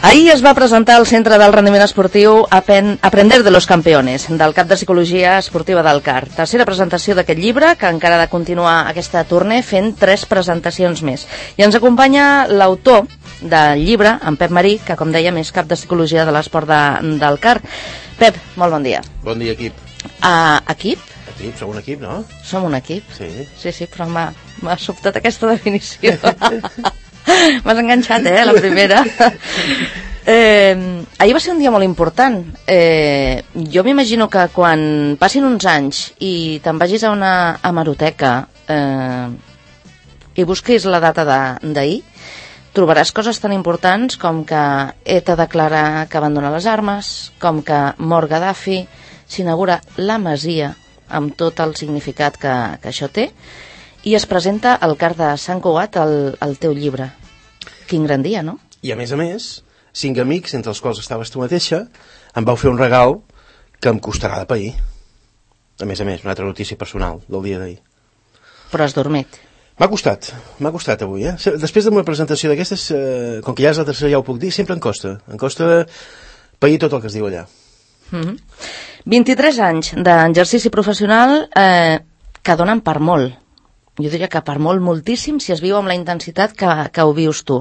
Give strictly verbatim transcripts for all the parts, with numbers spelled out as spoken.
Ahir es va presentar al Centre del Rendiment Esportiu Aprender de los Campeones, del cap de Psicologia Esportiva del C A R. Tercera presentació d'aquest llibre, que encara ha de continuar aquesta tournée fent tres presentacions més. I ens acompanya l'autor del llibre, en Pep Marí, que com dèiem és cap de Psicologia de l'Esport de, del C A R. Pep, molt bon dia. Bon dia, equip. Uh, equip? Equip, som un equip, no? Som un equip? Sí. Sí, sí, però m'ha sobtat aquesta definició. M'has enganxat, eh, la primera. eh, ahir va ser un dia molt important. Eh, jo m'imagino que quan passin uns anys i te'n vagis a una hemeroteca eh, i busquis la data d'ahir, trobaràs coses tan importants com que E T A declara que abandona les armes, com que mor Gaddafi, s'inaugura la Masia, amb tot el significat que, que això té, i es presenta el C A R de Sant Cugat al, al teu llibre. Quin gran dia, no? I a més a més, cinc amics, entre els quals estaves tu mateixa, em vau fer un regal que em costarà de pair. A més a més, una altra notícia personal del dia d'ahir. Però has dormit. M'ha costat, m'ha costat avui, eh? Després d'una presentació d'aquestes, eh, com que ja és la tercera, ja ho puc dir, sempre em costa. Em costa pair tot el que es diu allà. Mm-hmm. vint-i-tres anys d'exercici professional eh, que donen per molt. Jo diria que per molt, moltíssim, si es viu amb la intensitat que, que ho vius tu.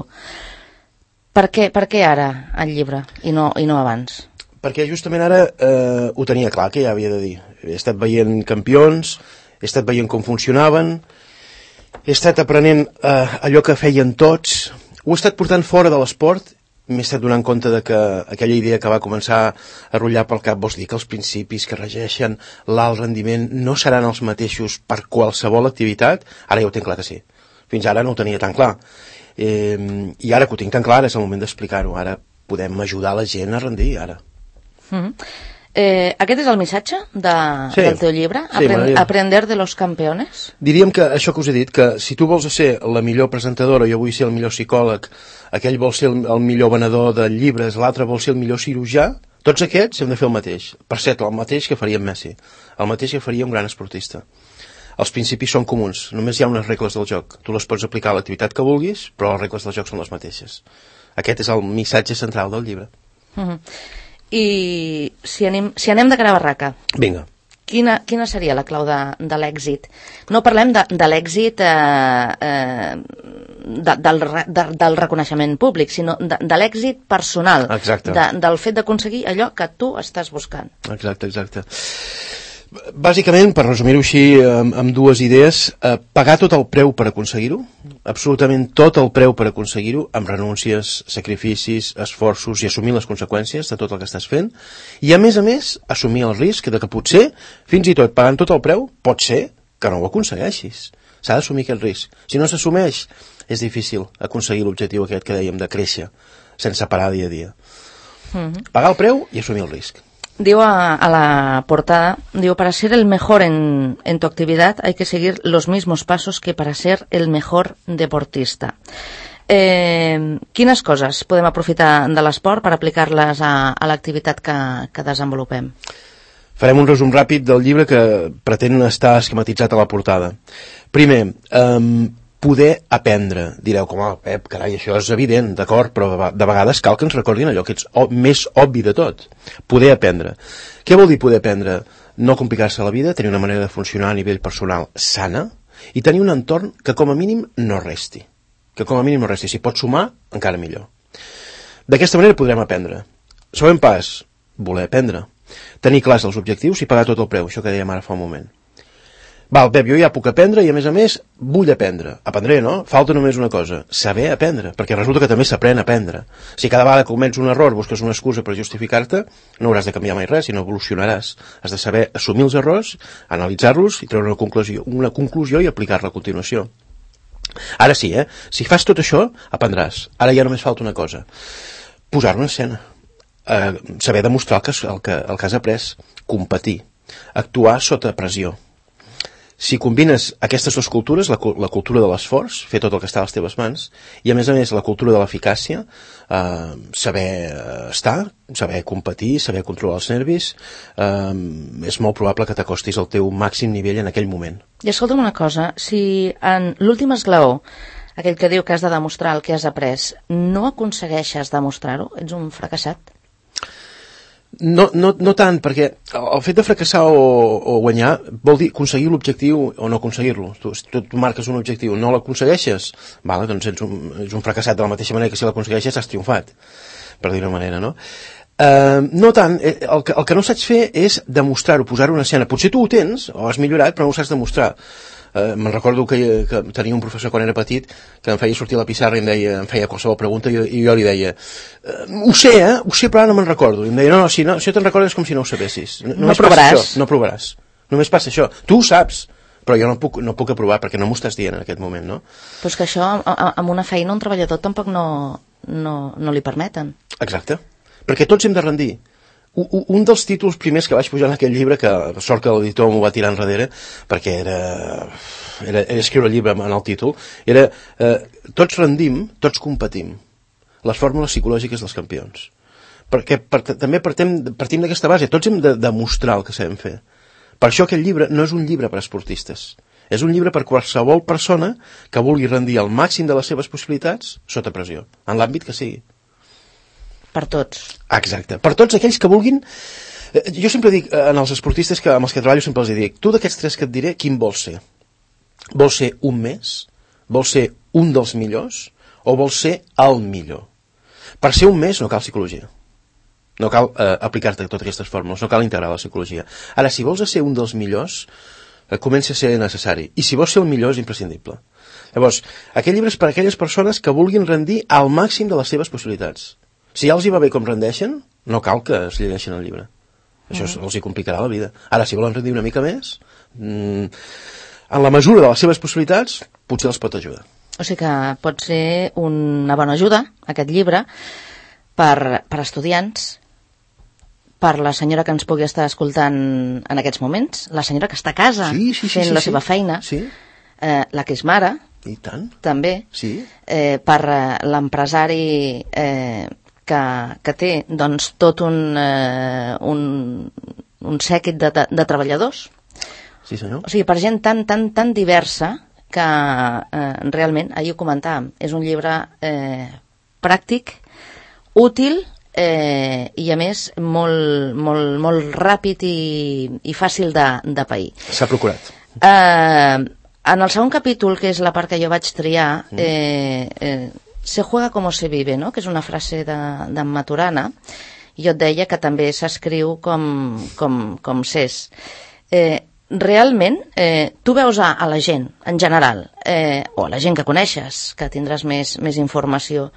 Per què, per què ara el llibre i no, i no abans? Perquè justament ara eh, ho tenia clar, que ja havia de dir. He estat veient campions, he estat veient com funcionaven, he estat aprenent eh, allò que feien tots, ho he estat portant fora de l'esport. M'he estat donant compte de que aquella idea que va començar a rotllar pel cap, vols dir que els principis que regeixen l'alt rendiment no seran els mateixos per qualsevol activitat? Ara ja ho tinc clar que sí. Fins ara no ho tenia tan clar. Eh, I ara que ho tinc tan clar és el moment d'explicar-ho. Ara podem ajudar la gent a rendir, ara. Mm-hmm. Eh, aquest és el missatge de, sí, del teu llibre? Sí, Aprend, Aprender de los Campeones? Diríem que això que us he dit, que si tu vols ser la millor presentadora, jo vull ser el millor psicòleg, aquell vol ser el, el millor venedor de llibres, l'altre vol ser el millor cirurgià, tots aquests hem de fer el mateix. Per cert, el mateix que faria en Messi, el mateix que faria un gran esportista. Els principis són comuns, només hi ha unes regles del joc. Tu les pots aplicar a l'activitat que vulguis, però les regles del joc són les mateixes. Aquest és el missatge central del llibre. Mm-hmm. I si anem, si anem de cara a barraca, vinga, quina, quina seria la clau de, de l'èxit? No parlem de, de l'èxit eh, eh, de, del, de, del reconeixement públic, sinó de, de l'èxit personal. Exacte. De, del fet d'aconseguir allò que tu estàs buscant. Exacte, exacte. Bàsicament, per resumir-ho així amb, amb dues idees, eh, pagar tot el preu per aconseguir-ho, absolutament tot el preu per aconseguir-ho, amb renúncies, sacrificis, esforços i assumir les conseqüències de tot el que estàs fent, i a més a més assumir el risc de que potser, fins i tot pagant tot el preu, pot ser que no ho aconsegueixis. S'ha d'assumir aquest risc. Si no s'assumeix, és difícil aconseguir l'objectiu aquest que dèiem de créixer, sense parar dia a dia. Mm-hmm. Pagar el preu i assumir el risc. Diu a, a la portada, diu, para ser el mejor en, en tu actividad hay que seguir los mismos pasos que para ser el mejor deportista. Eh, quines coses podem aprofitar de l'esport per aplicar-les a, a l'activitat que, que desenvolupem? Farem un resum ràpid del llibre que pretén estar esquematitzat a la portada. Primer, eh, poder aprendre. Direu, com, oh, Pep, carai, això és evident, d'acord, però de vegades cal que ens recordin allò que és o, més obvi de tot. Poder aprendre. Què vol dir poder aprendre? No complicar-se la vida, tenir una manera de funcionar a nivell personal sana i tenir un entorn que com a mínim no resti. Que com a mínim no resti. Si pots sumar, encara millor. D'aquesta manera podrem aprendre. Següent pas, voler aprendre. Tenir clars els objectius i pagar tot el preu, això que dèiem ara fa un moment. Val, Pep, jo ja puc aprendre i a més a més vull aprendre. Aprendré, no? Falta només una cosa, saber aprendre, perquè resulta que també s'aprèn a aprendre. Si cada vegada que comets un error busques una excusa per justificar-te, no hauràs de canviar mai res, sinó evolucionaràs. Has de saber assumir els errors, analitzar-los i treure una conclusió, una conclusió i aplicar-la a continuació. Ara sí, eh? Si fas tot això, aprendràs. Ara ja només falta una cosa. Posar-ho en escena. Eh, saber demostrar el que, el, que, el que has après. Competir. Actuar sota pressió. Si combines aquestes dues cultures, la, la cultura de l'esforç, fer tot el que està a les teves mans, i a més a més la cultura de l'eficàcia, eh, saber estar, saber competir, saber controlar els nervis, eh, és molt probable que t'acostis al teu màxim nivell en aquell moment. I escolta'm una cosa, si en l'últim esglaó aquell que diu que has de demostrar el que has après, no aconsegueixes demostrar-ho? Ets un fracassat? No, no, no tant, perquè el fet de fracassar o, o guanyar vol dir aconseguir l'objectiu o no aconseguir-lo. Tu, tu, tu marques un objectiu, no l'aconsegueixes, vale, doncs ets un, ets un fracassat de la mateixa manera que si l'aconsegueixes has triomfat, per dir-ho manera, no? Uh, no tant, el que, el que no saps fer és demostrar-ho, posar-ho en escena. Potser tu ho tens, o has millorat, però no ho saps demostrar. Uh, me'n recordo que, que tenia un professor quan era petit que em feia sortir a la pissarra i em deia, em feia qualsevol pregunta i, i jo li deia uh, ho sé, eh? Ho sé, però ara no me'n recordo. I em deia, no, no, si, no, si no te'n recordes com si no ho sabessis. No, no provaràs. Això, no provaràs. Només passa això. Tu ho saps, però jo no puc, no puc aprovar perquè no m'ho estàs dient en aquest moment, no? Però és que això, amb una feina, un treballador tampoc no, no, no li permeten. Exacte. Perquè tots hem de rendir. Un dels títols primers que vaig pujar en aquell llibre, que sort que l'editor m'ho va tirar enrere, perquè era, era, era escriure el llibre en el títol, era eh, tots rendim, tots competim. Les fórmules psicològiques dels campions. Perquè per, també partim, partim d'aquesta base, tots hem de demostrar el que sabem fer. Per això aquest llibre no és un llibre per a esportistes. És un llibre per qualsevol persona que vulgui rendir el màxim de les seves possibilitats sota pressió, en l'àmbit que sigui. Per tots. Exacte. Per tots aquells que vulguin... Jo sempre dic, en els esportistes que, amb els que treballo, sempre els dic, tu d'aquests tres que et diré, quin vols ser? Vols ser un més? Vols ser un dels millors? O vols ser el millor? Per ser un més no cal psicologia. No cal eh, aplicar-te totes aquestes fórmules, no cal integrar la psicologia. Ara, si vols ser un dels millors, eh, comença a ser necessari. I si vols ser el millor, és imprescindible. Llavors, aquest llibre és per a aquelles persones que vulguin rendir al màxim de les seves possibilitats. Si ja els hi va bé com rendeixen, no cal que es llegeixin el llibre. Això mm. els hi complicarà la vida. Ara, si volen rendir una mica més, mmm, en la mesura de les seves possibilitats, potser els pot ajudar. O sigui que pot ser una bona ajuda, aquest llibre, per, per estudiants, per la senyora que ens pugui estar escoltant en aquests moments, la senyora que està a casa sí, sí, sí, fent sí, la sí. seva feina, sí. eh, la que és mare, i tant. també, sí. eh, per eh, l'empresari eh, que, que té doncs, tot un, eh, un, un sèquit de, de, de treballadors. Sí, senyor. O sigui, per gent tan, tan, tan diversa que eh, realment, ahir ho comentàvem, és un llibre eh, pràctic, útil eh, i a més molt, molt, molt ràpid i, i fàcil de, de pair. S'ha procurat. Eh, en el segon capítol, que és la part que jo vaig triar, eh, eh, se juega como se vive, no? Que és una frase d'en de Maturana, i jo et deia que també s'escriu com, com, com s'és. Eh, realment, eh, tu veus a, a la gent, en general, eh, o a la gent que coneixes, que tindràs més, més informació,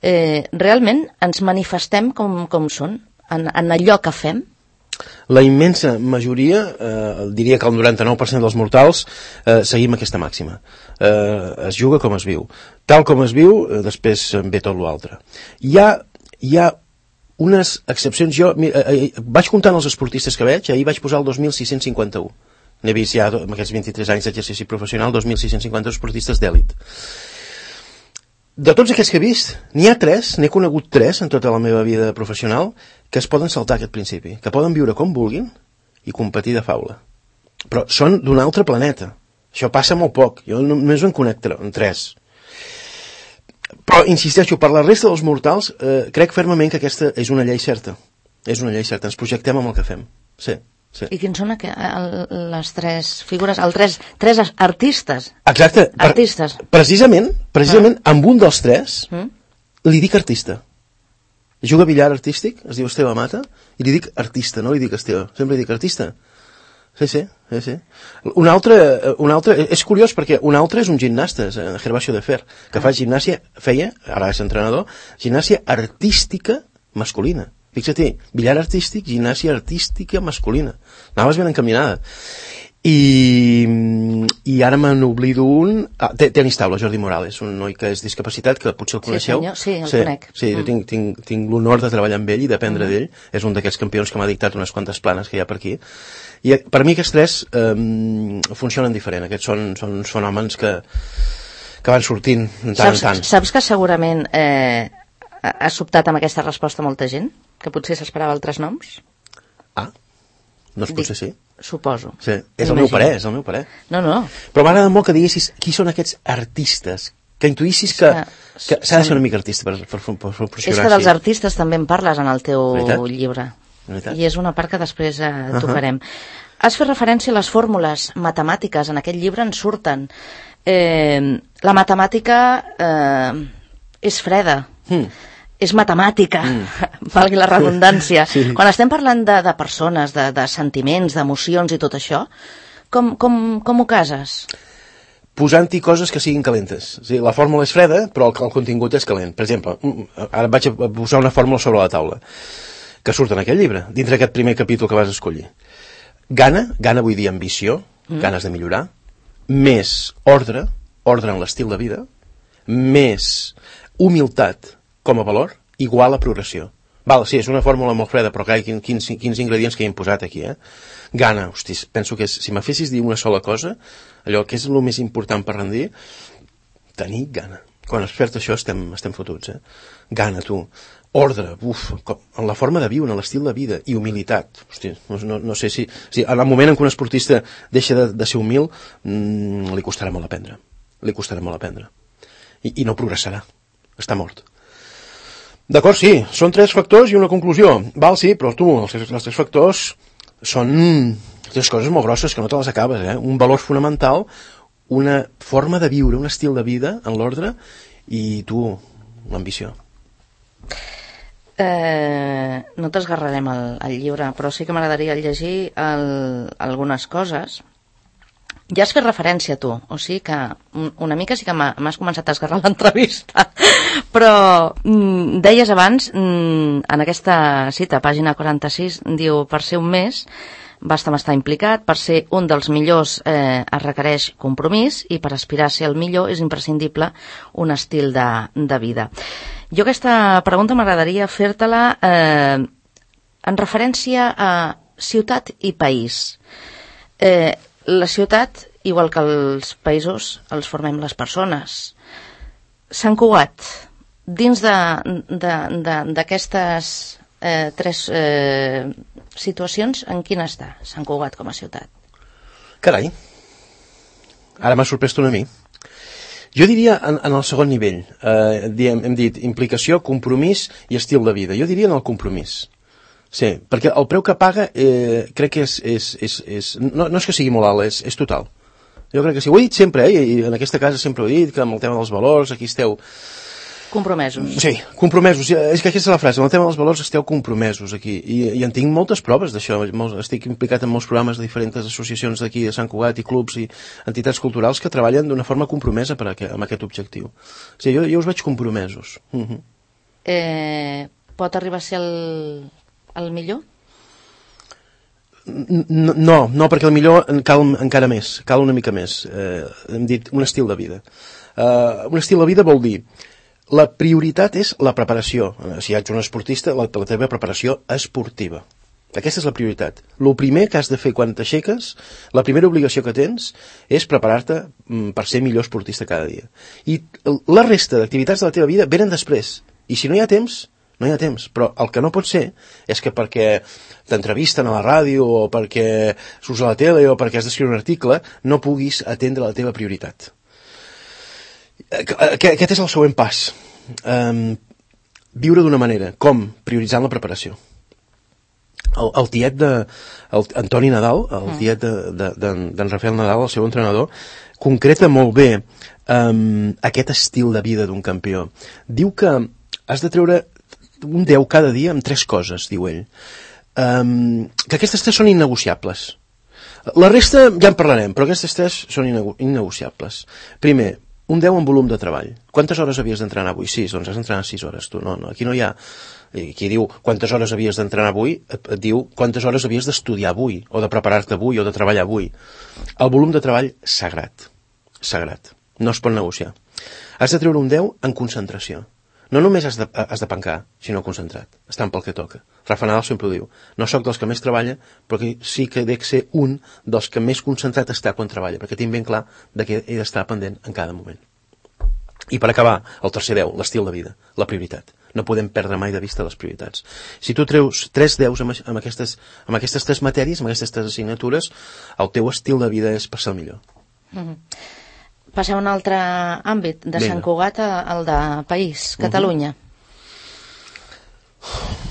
eh, realment ens manifestem com, com són, en, en allò que fem? La immensa majoria, eh, diria que el noranta-nou per cent dels mortals, eh, seguim aquesta màxima. Eh, es juga com es viu. Tal com es viu, eh, després ve tot l'altre. Hi ha, hi ha unes excepcions. Jo eh, eh, vaig comptant els esportistes que veig, ahir vaig posar el dos mil sis-cents cinquanta-u. N'he vist ja, amb aquests vint-i-tres anys d'exercici professional, dos mil sis-cents cinquanta esportistes d'èlit. De tots aquests que he vist, n'hi ha tres, n'he conegut tres en tota la meva vida professional, que es poden saltar aquest principi, que poden viure com vulguin i competir de faula. Però són d'un altre planeta. Això passa molt poc. Jo només en conec en tres. Però, insisteixo, per la resta dels mortals, eh, crec fermament que aquesta és una llei certa. És una llei certa. Ens projectem amb el que fem. Sí. Sí. I quins són aqu- el- les tres figures, els tres, tres artistes? Exacte. Per, Artistes. precisament, precisament Ah. amb un dels tres, Mm? li dic artista. Juga a billar artístic, es diu Esteve Mata, i li dic artista, no li dic Esteve. Sempre li dic artista. Sí, sí, sí, sí. Un altre, un altre, és curiós perquè un altre és un gimnasta, és Gervasio de Fer, que fa gimnàsia, feia, ara és entrenador, gimnàsia artística masculina. Fixa-t'hi, billar artístic, gimnàsia artística masculina. Anaves ben encaminada. I, i ara me n'oblido un... Ah, tenis taula, Jordi Morales, un noi que és discapacitat, que potser el coneixeu. Sí, senyor, sí, el sí, conec. Sí, jo tinc, tinc, tinc l'honor de treballar amb ell i d'aprendre mm. d'ell. És un d'aquests campions que m'ha dictat unes quantes planes que hi ha per aquí. I per mi aquests tres eh, funcionen diferent. Aquests són, són fenòmens que, que van sortint de tant saps, en tant. Saps que segurament eh, ha sobtat amb aquesta resposta molta gent? Que potser s'esperava altres noms? Ah, doncs potser sí. Suposo. Sí, és el meu parer, és el meu parer. No, no. Però m'agrada molt que diguessis qui són aquests artistes que intuïssis que, que s'ha de ser una mica artista per, per, per, per funcionar és que dels artistes també en parles en el teu Veritat? llibre. Veritat? I és una part que després eh, uh-huh. tocarem. Has fet referència a les fórmules matemàtiques, en aquest llibre en surten. Eh, la matemàtica eh, és freda, mm. és matemàtica, mm. valgui la redundància. Sí. Quan estem parlant de, de persones, de, de sentiments, d'emocions i tot això, com, com, com ho cases? Posant-hi coses que siguin calentes. O sigui, la fórmula és freda, però el, el contingut és calent. Per exemple, ara vaig a posar una fórmula sobre la taula, que surt en aquest llibre, dintre d'aquest primer capítol que vas escollir. Gana, gana vull dir ambició, mm. ganes de millorar, més ordre, ordre en l'estil de vida, més humilitat com a valor, igual a progressió. Val, sí, és una fórmula molt freda, però clar, quins, quins ingredients que hi hem posat aquí, eh? Gana, hosti, penso que és, si me fessis dir una sola cosa, allò que és el més important per rendir, tenir gana. Quan es perd això estem, estem fotuts, eh? Gana, tu. Ordre, uf, com, en la forma de viure, en l'estil de vida, i humilitat. Hosti, no, no, no sé si, si... En el moment en què un esportista deixa de, de ser humil, mmm, li costarà molt aprendre. Li costarà molt aprendre. I, i no progressarà. Està mort. D'acord, sí, són tres factors i una conclusió. Val, sí, però tu, els, els tres factors són tres coses molt grosses que no te les acabes, eh? Un valor fonamental, una forma de viure, un estil de vida en l'ordre i tu, l'ambició. Eh, no t'esgarrarem el, el llibre, però sí que m'agradaria llegir el, algunes coses. Ja has fet referència tu, o sigui que una mica sí que m'has començat a esgarrar l'entrevista, però mm, deies abans, mm, en aquesta cita, pàgina quaranta-sis, diu, per ser un més basta estar implicat, per ser un dels millors eh, es requereix compromís i per aspirar a ser el millor és imprescindible un estil de, de vida. Jo aquesta pregunta m'agradaria fer-te-la eh, en referència a ciutat i país. Eh, La ciutat, igual que els països, els formem les persones. Sant Cugat, dins d'aquestes eh, tres eh, situacions, en quina està Sant Cugat com a ciutat? Carai, ara m'ha sorprès una mi. Jo diria en, en el segon nivell, eh, diem, hem dit implicació, compromís i estil de vida. Jo diria en el compromís. Sí, perquè el preu que paga eh, crec que és, és, és, és no, no és que sigui molt alt, és, és total. Jo crec que sí, ho he dit sempre, eh, i en aquesta casa sempre ho he dit, que amb el tema dels valors, aquí esteu... Compromesos. Sí, compromesos, és que aquesta és la frase, amb el tema dels valors esteu compromesos aquí, i, i en tinc moltes proves d'això, estic implicat en molts programes de diferents associacions d'aquí, de Sant Cugat, i clubs i entitats culturals que treballen d'una forma compromesa per a, amb aquest objectiu. O sigui, jo, jo us veig compromesos. Uh -huh. eh, pot arribar a ser el... el millor? No, no, no, perquè el millor cal encara més, cal una mica més. Eh, hem dit un estil de vida. Eh, un estil de vida vol dir la prioritat és la preparació. Si ets un esportista, la, la teva preparació esportiva. Aquesta és la prioritat. El primer que has de fer quan t'aixeques, la primera obligació que tens és preparar-te per ser millor esportista cada dia. I la resta d'activitats de la teva vida venen després. I si no hi ha temps, no hi ha temps, però el que no pot ser és que perquè t'entrevisten a la ràdio o perquè surts a la tele o perquè has d'escriure un article no puguis atendre la teva prioritat. Aquest és el següent pas. Um, viure d'una manera. Com? Prioritzant la preparació. El, el tiet de el, Antoni Nadal, el tiet d'en de, de, de, Rafael Nadal, el seu entrenador, concreta molt bé um, aquest estil de vida d'un campió. Diu que has de treure un deu cada dia amb tres coses, diu ell. Um, que aquestes tres són innegociables. La resta ja en parlarem, però aquestes tres són innegociables. Primer, un deu en volum de treball. Quantes hores havies d'entrenar avui? sis, doncs has d'entrenar sis hores. Tu, no, no, aquí no hi ha... Aquí diu quantes hores havies d'entrenar avui, et, et diu quantes hores havies d'estudiar avui, o de preparar-te avui, o de treballar avui. El volum de treball, sagrat. Sagrat. No es pot negociar. Has de treure un deu en concentració. No només has de, has de pencar, sinó concentrat, estant pel que toca. Rafa Nadal sempre ho diu, no sóc dels que més treballa, però que sí que dec ser un dels que més concentrat està quan treballa, perquè tinc ben clar de que he d'estar pendent en cada moment. I per acabar, el tercer deu, l'estil de vida, la prioritat. No podem perdre mai de vista les prioritats. Si tu treus tres deus amb, amb, aquestes, amb aquestes tres matèries, amb aquestes tres assignatures, el teu estil de vida és per ser el millor. Mm-hmm. Passem a un altre àmbit, de Vinga. Sant Cugat al de país, Catalunya. Uh-huh.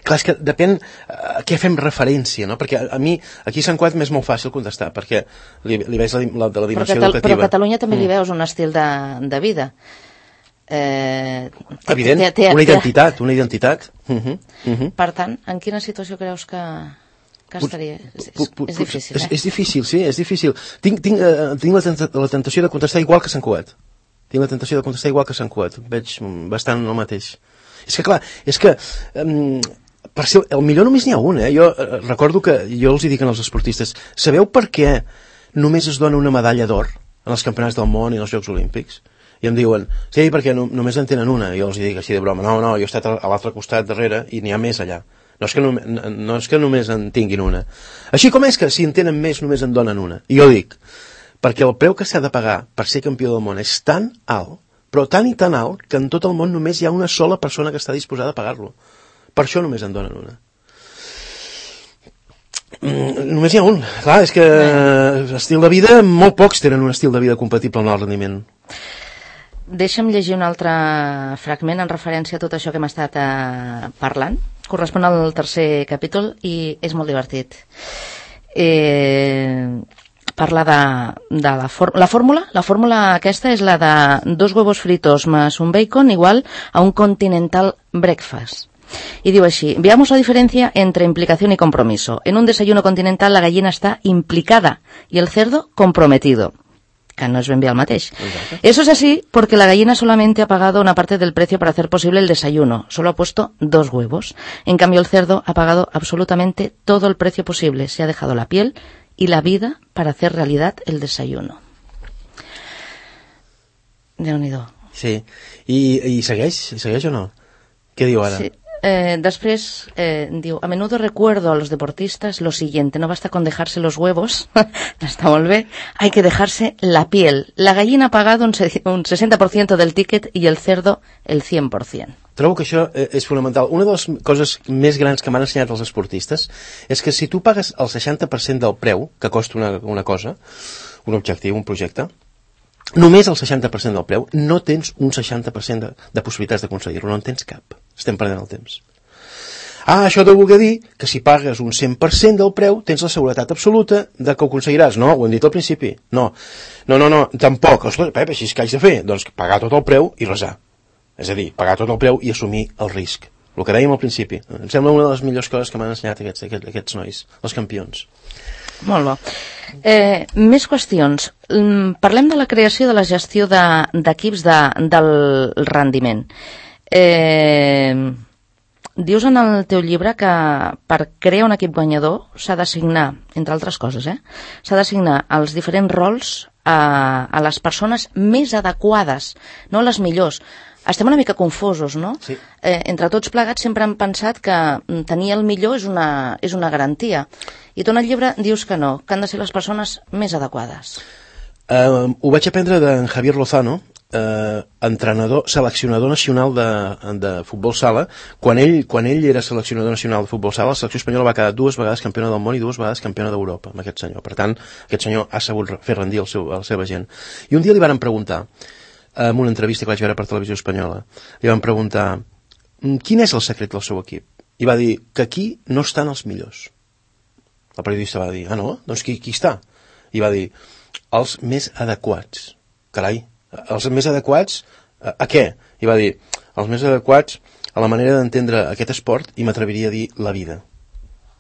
Clar, és que depèn a què fem referència, no? Perquè a, a mi, aquí a Sant Cugat m'és molt fàcil contestar, perquè li, li veig la, la, de la dimensió però educativa. Però a Catalunya també li veus un estil de, de vida. Eh, Evident, té, té, una identitat, una identitat. Uh-huh, uh-huh. Per tant, en quina situació creus que... que estaria... És, és, és difícil, eh? És, és difícil, sí, és difícil. Tinc, tinc, uh, tinc la, tenta, la tentació de contestar igual que Sant Cugat. Tinc la tentació de contestar igual que Sant Cugat. Veig bastant el mateix. És que, clar, és que... Um, per ser el millor només n'hi ha un, eh? Jo uh, recordo que jo els hi dic als esportistes, sabeu per què només es dona una medalla d'or en els campionats del món i en els Jocs Olímpics? I em diuen, sí, perquè no, només en tenen una. I jo els dic així de broma, no, no, jo he estat a, a l'altre costat darrere i n'hi ha més allà. No és, que no, no és que només en tinguin una. Així com és que si en tenen més només en donen una. I jo dic, perquè el preu que s'ha de pagar per ser campió del món és tan alt, però tan i tan alt, que en tot el món només hi ha una sola persona que està disposada a pagar-lo. Per això només en donen una. Mm, només hi ha un. Clar, és que estil de vida, molt pocs tenen un estil de vida compatible amb el rendiment. Deixa'm llegir un altre fragment en referència a tot això que hem estat eh, parlant. Correspon al tercer capítol i és molt divertit. Eh, parla de, de la, la fórmula. La fórmula aquesta és la de dos huevos fritos más un bacon igual a un continental breakfast. Y digo así, veamos la diferencia entre implicación y compromiso. En un desayuno continental la gallina está implicada y el cerdo comprometido. Que no es ben bé el mateix. Exacto. Eso es así porque la gallina solamente ha pagado una parte del precio para hacer posible el desayuno. Solo ha puesto dos huevos. En cambio, el cerdo ha pagado absolutamente todo el precio posible. Se ha dejado la piel y la vida para hacer realidad el desayuno. Déu-n'hi-do. Sí. I, i segueix? Segueix o no? Què diu ara? Sí. Eh, después eh, digo, a menudo recuerdo a los deportistas lo siguiente, no basta con dejarse los huevos, hasta volver, hay que dejarse la piel. La gallina ha pagado un, un sesenta por ciento del ticket y el cerdo el cent per cent. Trobo que això eh, és fonamental. Una de les coses més grans que m'han ensenyat els esportistes és que si tu pagues el seixanta per cent del preu que costa una, una cosa, un objectiu, un projecte, només el seixanta per cent del preu, no tens un seixanta per cent de, de possibilitats d'aconseguir-lo, no en tens cap. Estem perdent el temps. Ah, això deu voler dir que si pagues un cent per cent del preu tens la seguretat absoluta de que ho aconseguiràs. No, ho hem dit al principi. No, no, no, no tampoc. Ostres, Pep, així és que haig de fer? Doncs pagar tot el preu i resar. És a dir, pagar tot el preu i assumir el risc. El que dèiem al principi. Em sembla una de les millors coses que m'han ensenyat aquests, aquests, aquests nois, els campions. Molt bo. Eh, més qüestions. Parlem de la creació de la gestió d'equips de, de, del rendiment. Eh, dius en el teu llibre que per crear un equip guanyador s'ha d'assignar, entre altres coses, eh, s'ha d'assignar els diferents rols a, a les persones més adequades, no les millors. Estem una mica confosos, no? Sí. Eh, entre tots plegats sempre hem pensat que tenir el millor és una, és una garantia. I tu en el llibre dius que no, que han de ser les persones més adequades. Uh, ho vaig aprendre d'en Javier Lozano, uh, entrenador, seleccionador nacional de, de futbol sala. Quan ell, quan ell era seleccionador nacional de futbol sala, la selecció espanyola va quedar dues vegades campiona del món i dues vegades campiona d'Europa, amb aquest senyor. Per tant, aquest senyor ha sabut fer rendir el seu, la seva gent. I un dia li van preguntar, en una entrevista que vaig veure per Televisió Espanyola, li van preguntar quin és el secret del seu equip? I va dir que aquí no estan els millors. El periodista va dir, ah no? Doncs qui, qui està? I va dir, els més adequats. Carai, els més adequats a, a què? I va dir, els més adequats a la manera d'entendre aquest esport i m'atreviria a dir la vida.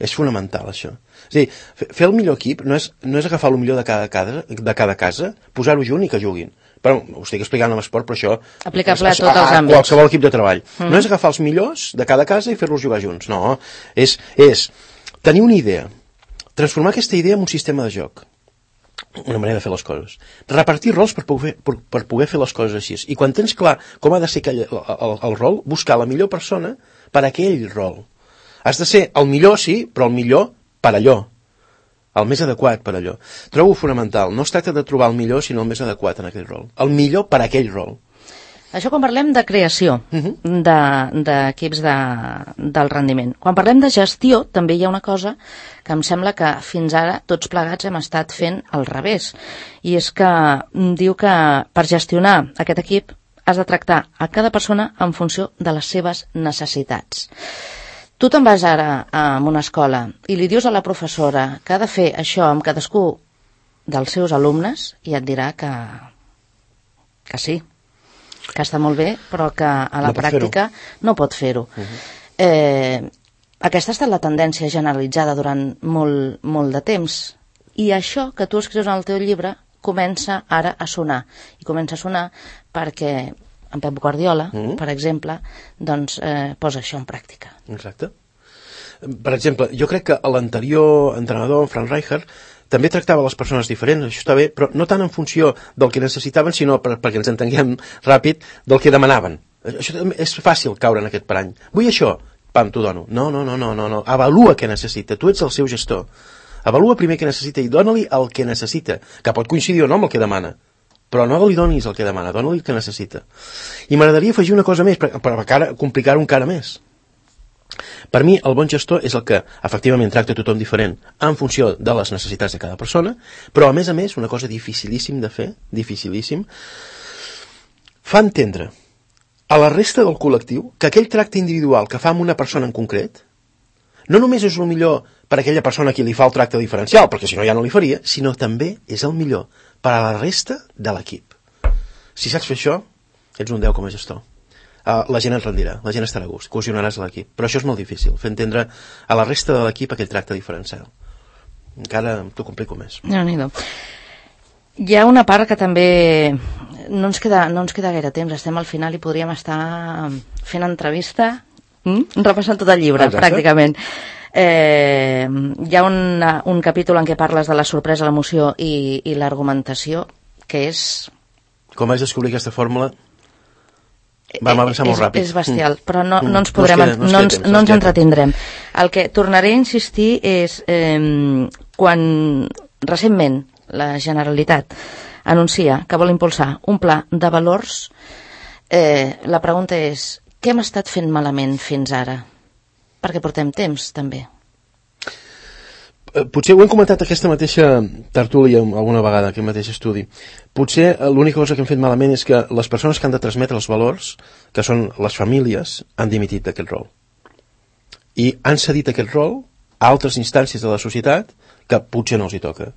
És fonamental, això. És a dir, fer el millor equip no és, no és agafar el millor de cada casa, de cada casa, posar-ho junt i que juguin. Però ho estic explicant en l'esport, però això... Aplicable a tots els a, a àmbits. qualsevol equip de treball. Mm. No és agafar els millors de cada casa i fer-los jugar junts. No, és, és tenir una idea, transformar aquesta idea en un sistema de joc, una manera de fer les coses, repartir rols per poder, per, per poder fer les coses així, i quan tens clar com ha de ser aquell, el, el, el rol, buscar la millor persona per a aquell rol. Has de ser el millor, sí, però el millor per allò, el més adequat per allò. Trobo fonamental, no es tracta de trobar el millor, sinó el més adequat en aquell rol, el millor per a aquell rol. Això quan parlem de creació Uh-huh. de- d'equips de, del rendiment. Quan parlem de gestió, també hi ha una cosa que em sembla que fins ara tots plegats hem estat fent al revés. I és que mm, diu que per gestionar aquest equip has de tractar a cada persona en funció de les seves necessitats. Tu te'n vas ara a una escola i li dius a la professora que ha de fer això amb cadascú dels seus alumnes i et dirà que, que sí, que està molt bé, però que a la No pot pràctica no pot fer-ho. Uh-huh. Eh, aquesta ha estat la tendència generalitzada durant molt, molt de temps. I això que tu escrius en el teu llibre comença ara a sonar. I comença a sonar perquè en Pep Guardiola, Mm. per exemple, doncs eh, posa això en pràctica. Exacte. Per exemple, jo crec que l'anterior entrenador, en Frank Rijkaard, també tractava les persones diferents, això està bé, però no tant en funció del que necessitaven, sinó per, perquè ens entenguem ràpid, del que demanaven. Això també és fàcil caure en aquest parany. Vull això, pam, t'ho dono. No, no, no, no, no, no. Avalua què necessita, tu ets el seu gestor. Avalua primer què necessita i dona-li el que necessita, que pot coincidir o no amb el que demana, però no li donis el que demana, dona-li el que necessita. I m'agradaria afegir una cosa més, per, per encara complicar-ho encara més. Per mi, el bon gestor és el que, efectivament, tracta tothom diferent en funció de les necessitats de cada persona, però, a més a més, una cosa dificilíssim de fer, dificilíssim, fa entendre a la resta del col·lectiu que aquell tracte individual que fa amb una persona en concret no només és el millor per a aquella persona a qui li fa el tracte diferencial, perquè si no ja no li faria, sinó també és el millor per a la resta de l'equip. Si saps fer això, ets un deu com a gestor. Uh, la gent et rendirà, la gent estarà a gust, cohesionaràs l'equip. Però això és molt difícil, fer entendre a la resta de l'equip aquell tracte diferencial. Encara t'ho complico més. Déu-n'hi-do. Hi ha una part que també no ens queda, no ens queda gaire temps, estem al final i podríem estar fent entrevista, mm? repassant tot el llibre, Exacte. pràcticament. Eh, hi ha una, un capítol en què parles de la sorpresa, l'emoció i, i l'argumentació, que és... Com vaig descobrir aquesta fórmula, vam avançar molt és, ràpid. és bestial, però no, Mm. no ens No podrem, ens queda- no ens no queda ens, temps, no no ens ens queda entretindrem. El que tornaré a insistir és eh, quan recentment la Generalitat anuncia que vol impulsar un pla de valors, eh, la pregunta és què hem estat fent malament fins ara? Perquè portem temps, també. Eh, Potser ho hem comentat aquesta mateixa tertúlia alguna vegada, aquest mateix estudi. Potser eh, l'única cosa que hem fet malament és que les persones que han de transmetre els valors, que són les famílies, han dimitit d'aquest rol. I han cedit aquest rol a altres instàncies de la societat que potser no els hi toca.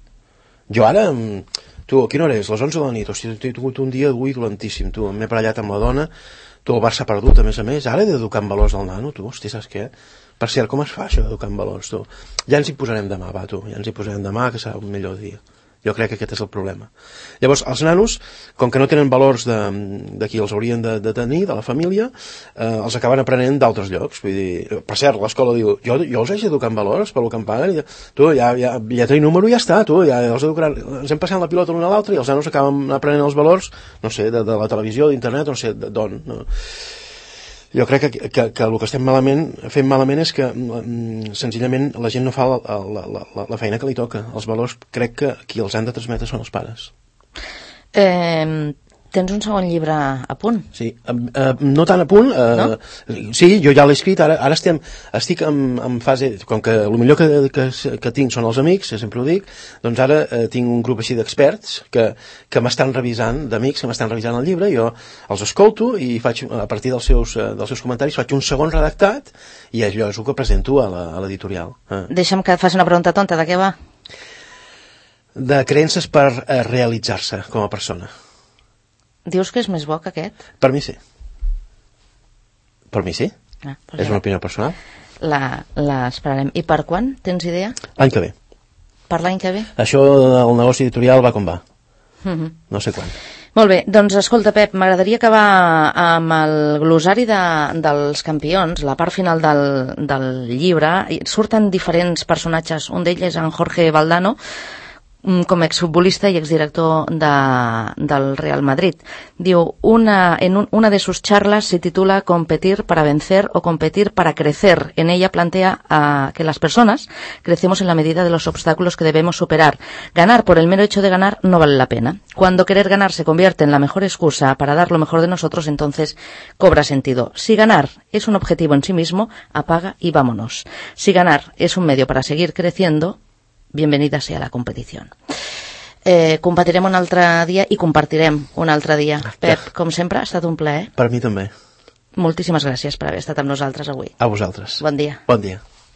Jo ara, mm, tu, a quina hora és? Les onze de la nit. Hòstia, he tingut un dia avui dolentíssim, tu. M'he barallat amb la dona, tu, el Barça ha perdut, a més a més. Ara he d'educar en valors al nano, tu. Hòstia, saps què? Per cert, com es fa això d'educar en valors, tu? Ja ens hi posarem demà, va, tu. Ja ens hi posarem demà, que serà un millor dia. Jo crec que aquest és el problema. Llavors, els nanos, com que no tenen valors de, de qui els haurien de, de tenir, de la família, eh, els acaben aprenent d'altres llocs. Vull dir, per cert, l'escola diu, jo, jo els haig d'educar en valors per lo que em paguen. I, tu, ja, ja, lletra i número ja està, tu, ja els educaran. Ens hem passat la pilota l'un a l'altre i els nanos acaben aprenent els valors, no sé, de, de la televisió, d'internet, no sé, d'on. No. Jo crec que, que, que el que estem malament, fent malament és que mm, senzillament la gent no fa la, la, la, la feina que li toca. Els valors crec que qui els han de transmetre són els pares. Eh, tens un segon llibre a punt? Sí, eh, no tan a punt, eh, No? sí, jo ja l'he escrit, ara, ara estem, estic en, en fase, com que el millor que, que, que tinc són els amics, sempre ho dic, doncs ara eh, tinc un grup així d'experts que, que m'estan revisant, d'amics que m'estan revisant el llibre, jo els escolto i faig, a partir dels seus, eh, dels seus comentaris faig un segon redactat i allò és el que presento a l'editorial. Eh. Deixa'm que et faci una pregunta tonta, de què va? De creences per eh, realitzar-se com a persona. Dius que és més bo que aquest? Per mi sí. Per mi sí. Ah, doncs És ja una opinió personal. la, la esperarem. I per quan? Tens idea? L'any que ve. Per l'any que ve? Això del negoci editorial va com va. Mhm. No sé quan. Molt bé, doncs escolta, Pep, m'agradaria acabar amb el glosari de, dels campions, la part final del, del llibre. I surten diferents personatges, un d'ells és en Jorge Valdano. com a exfutbolista y exdirector de, del Real Madrid. Diu, una, en un, una de sus charlas se titula Competir para vencer o competir para crecer. En ella plantea uh, que las personas crecemos en la medida de los obstáculos que debemos superar. Ganar por el mero hecho de ganar no vale la pena. Cuando querer ganar se convierte en la mejor excusa para dar lo mejor de nosotros, entonces cobra sentido. Si ganar es un objetivo en sí mismo, apaga y vámonos. Si ganar es un medio para seguir creciendo, bienvenida sea la competició. Eh, competirem un altre dia i compartirem un altre dia. Pep, com sempre, ha estat un plaer. Per mi també. Moltíssimes gràcies per haver estat amb nosaltres avui. A vosaltres. Bon dia. Bon dia.